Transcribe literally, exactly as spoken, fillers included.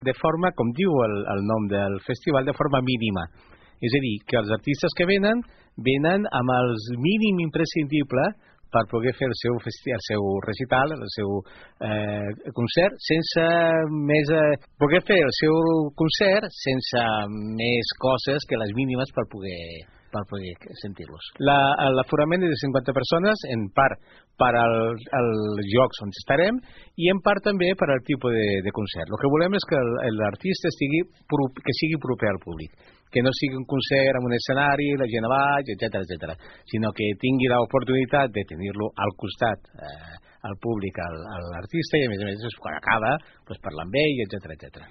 de forma, com diu el, el nom del festival, de forma mínima. És a dir, que els artistes que venen, venen amb el mínim imprescindible per poder fer el seu, festi el seu recital, el seu eh, concert, sense més... Eh, poder fer el seu concert sense més coses que les mínimes per poder... per poder sentir-los. L'aforament és de cinquanta persones, en part per als llocs on estarem i en part també per al tipus de, de concert. El que volem és que l'artista estigui que sigui proper al públic, que no sigui un concert amb un escenari, la gent a baix, etcètera, etcètera, sinó que tingui l'oportunitat de tenir-lo al costat eh, al públic, al, a l'artista, i a més a més quan acaba pues, parlar amb ell, etcètera, etcètera.